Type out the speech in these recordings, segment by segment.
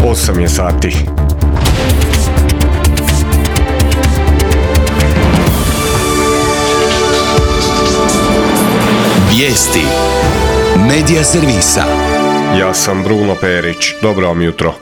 8 je sati. Vijesti Medija servisa. Ja sam Bruno Perić. Dobro vam jutro.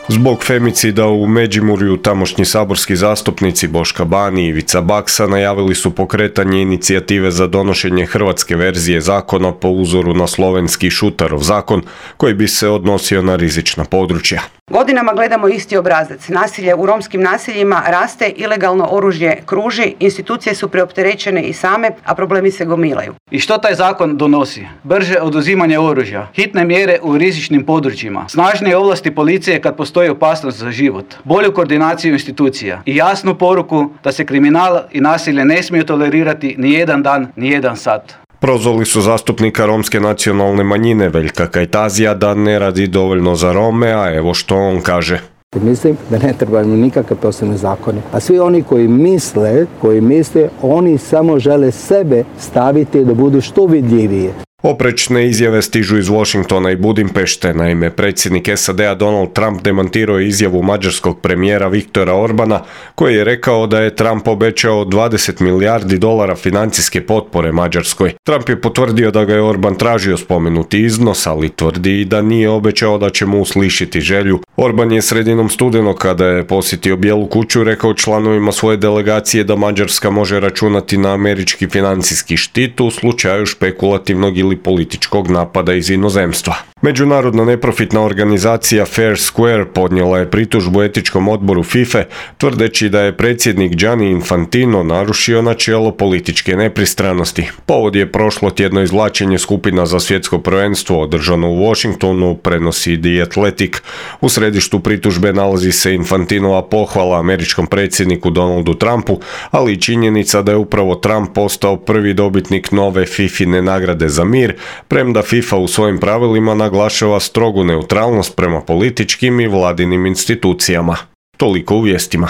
Zbog femicida u Međimurju tamošnji saborski zastupnici Boška Bani i Ivica Baksa najavili su pokretanje inicijative za donošenje hrvatske verzije zakona po uzoru na slovenski Šutarov zakon koji bi se odnosio na rizična područja. Godinama gledamo isti obrazac. Nasilje u romskim naseljima raste, ilegalno oružje kruži, institucije su preopterećene i same, a problemi se gomilaju. I što taj zakon donosi? Brže oduzimanje oružja, hitne mjere u rizičnim područjima, snažnije ovlasti policije kad postoji opasnost za život, bolju koordinaciju institucija i jasnu poruku da se kriminal i nasilje ne smiju tolerirati ni jedan dan, ni jedan sat. Prozvali su zastupnika romske nacionalne manjine Veljka Kajtazija da ne radi dovoljno za Rome, a evo što on kaže. Mislim da ne trebamo nikakve posebne zakone. A svi oni koji misle, oni samo žele sebe staviti da budu što vidljivije. Oprečne izjave stižu iz Washingtona i Budimpešte. Naime, predsjednik SAD-a Donald Trump demantirao je izjavu mađarskog premijera Viktora Orbana, koji je rekao da je Trump obećao 20 milijardi dolara financijske potpore Mađarskoj. Trump je potvrdio da ga je Orban tražio spomenuti iznos, ali tvrdi i da nije obećao da će mu uslišiti želju. Orban je sredinom studenog, kada je posjetio Bijelu kuću, rekao članovima svoje delegacije da Mađarska može računati na američki financijski štit u slučaju špekulativnog ili političkog napada iz inozemstva. Međunarodna neprofitna organizacija Fair Square podnijela je pritužbu etičkom odboru FIFA tvrdeći da je predsjednik Gianni Infantino narušio načelo političke nepristranosti. Povod je prošlo tjedno izvlačenje skupina za svjetsko prvenstvo održano u Washingtonu, prenosi The Athletic. U središtu pritužbe nalazi se Infantinova pohvala američkom predsjedniku Donaldu Trumpu, ali i činjenica da je upravo Trump postao prvi dobitnik nove FIFA-ine nagrade za mir, premda FIFA u svojim pravilima naglašava strogu neutralnost prema političkim i vladinim institucijama. Toliko u vijestima.